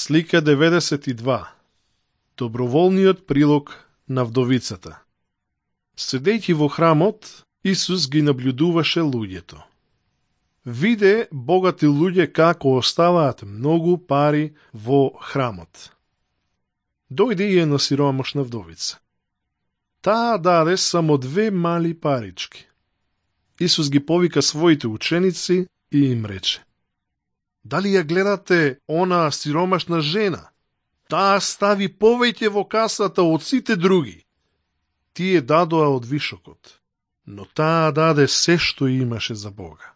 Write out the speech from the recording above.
Слика 92. Доброволниот прилог на вдовицата. Седејќи во храмот, Исус ги наблюдуваше луѓето. Виде богати луѓе како оставаат многу пари во храмот. Дојде и една сиромашна вдовица. Таа даде само 2 мали парички. Исус ги повика своите ученици и им рече: Дали ја гледате онаа сиромашна жена? Таа стави повеќе во касата од сите други. Тие дадоа од вишокот, но таа даде се што имаше за Бога.